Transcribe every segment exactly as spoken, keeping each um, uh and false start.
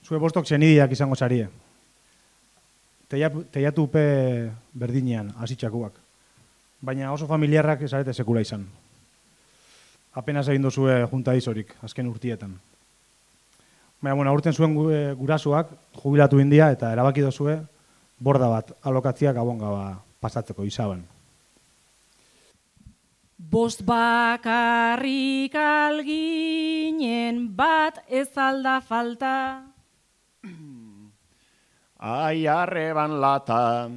Zue bostok senidiak izango zarie. Teiatupe berdinean, hasitxakuak. Baina oso familiarrak esarete sekula izan. Apenas egin dozue junta izorik, azken urtietan. Baina, bueno, aurten zuen gurasoak jubilatu india eta erabaki dozue borda bat alokatzia gabon gaba pasatzeko izaban. Bost bakarrik alginen bat ez alda falta. Ai arreban lata.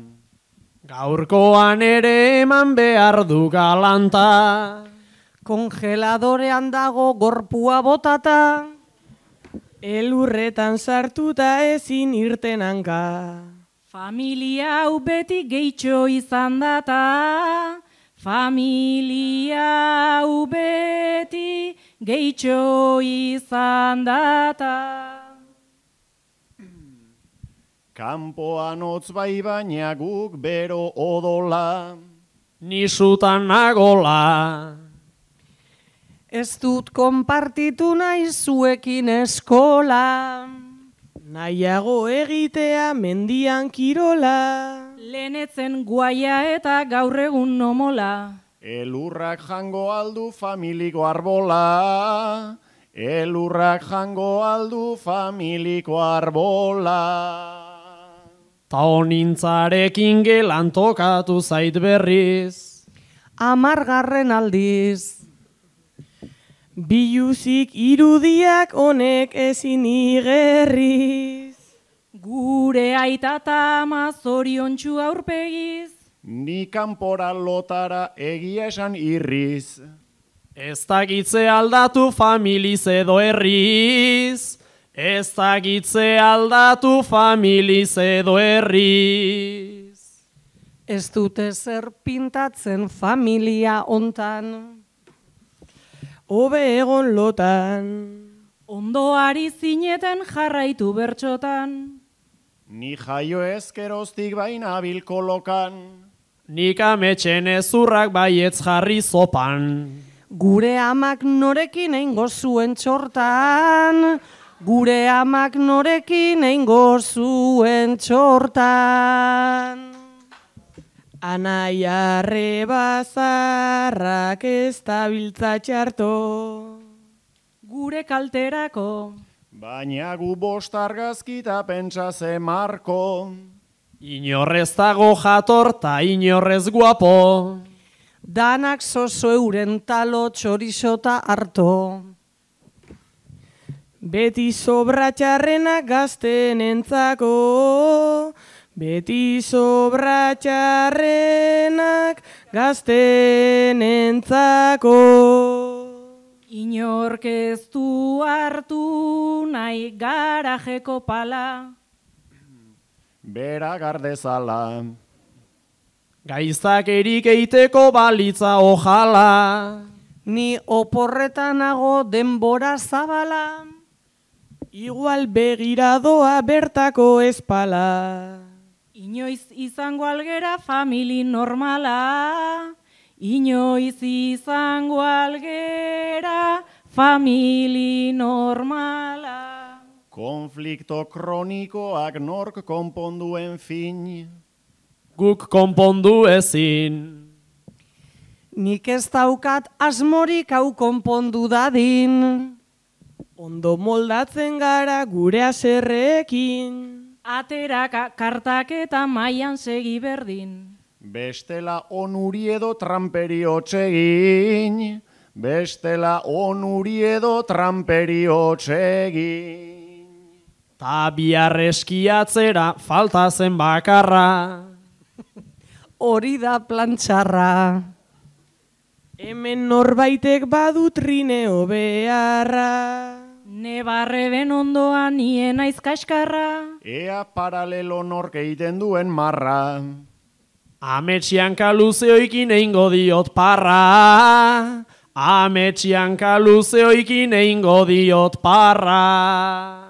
Gaurkoan ere eman behar du galanta. Kongeladorean dago gorpua botata. Elurretan sartuta ezin irten hanka. Familia hau beti gehitxo izan data. Familia hau beti gehitxo izan data. Kanpoan hotz bai baina guk bero odola. Nisutan nagola. Ez dut konpartitu nahi zuekin eskola. Nahiago egitea mendian kirola. Lehenetzen guaia eta gaur egun nomola. Elurrak jango aldu familiko arbola. Elurrak jango aldu familiko arbola. Ta honintzarekin gelan tokatu zait berriz. Amargarren aldiz. Biluzik irudiak honek ezin igerriz. Gure aita eta ama zoriontsu aurpegiz. Ni kanpora lotara egia esan irriz. Ez dakitze aldatu familiz edo herriz. Ez dakitze aldatu familiz edo herriz. Ez dute zer pintatzen familia hontan. Hobe egon lotan. Ondoari zineten jarraitu bertxotan. Ni jaio ezkeroztik baina bilkolokan. Nik ametxen ezurrak baietz jarri zopan. Gure amak norekin eingo zuen txortan. Gure amak norekin eingo zuen txortan. Anai arreba zarrak ez tabiltza txarto. Gure kalterako. Baina gu bost argazkita pentsa ze marko. Inorrez dago jator ta inorrez guapo. Danak zozo euren talo txorizota harto. Beti sobra txarrena gazten entzako. Beti sobra txarrenak gazten entzako. Inork ez du hartu nahi garajeko pala. Bera gardezala. Gaiztak erik eiteko balitza ojala. Ni oporretan nago denbora zabala. Igual begiradoa bertako espala. Inoiz izango algera famili normala. Inoiz izango algera famili normala. Konflikto kronikoak nork konponduen fin. Guk konpondu ezin. Nik ez daukat asmorik hau konpondu dadin. Ondo moldatzen gara gure aserreekin. Ateraka kartak eta mailan segi berdin. Bestela onuri edo tramperi hotsegin. Bestela onuri edo tramperi hotsegin. Ta bihar eskiatzera falta zen bakarra. Hori da plantxarra. Hemen norbaitek badu trineo beharra. Ne barreben ondoan nien naiz kaskarra. Ea paralelo nork egiten duen marra. Ametxian kaluzeoikin eingo diot parra. Ametxian kaluzeoikin eingo diot parra.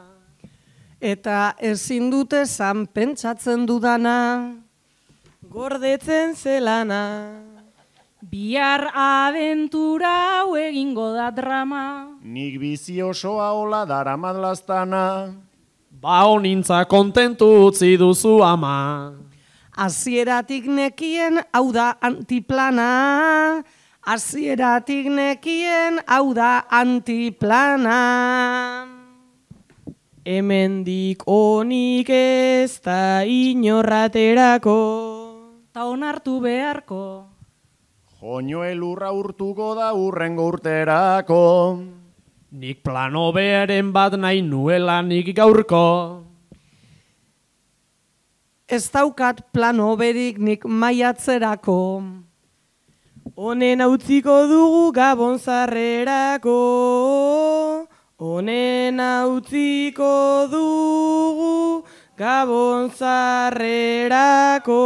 Eta ezin dute zan pentsatzen dudana. Gordetzen zelana. Bihar abentura hau egingo da drama. Nik bizi osoa hola daramat lastana. Ba honintza kontentu utzi duzu ama. Hasieratik nekien hau da antiplana, hasieratik nekien hau da antiplana. Hemendik onik ez da inorraterako. Ta onartu beharko. Joño elurra urtuko da urrengo urterako. Nik plano beharen bat nahi nuela nik gaurko. Ez daukat plano berik nik maiatzerako. Honen utziko dugu Gabon zarrerako. Honen utziko dugu Gabon zarrerako.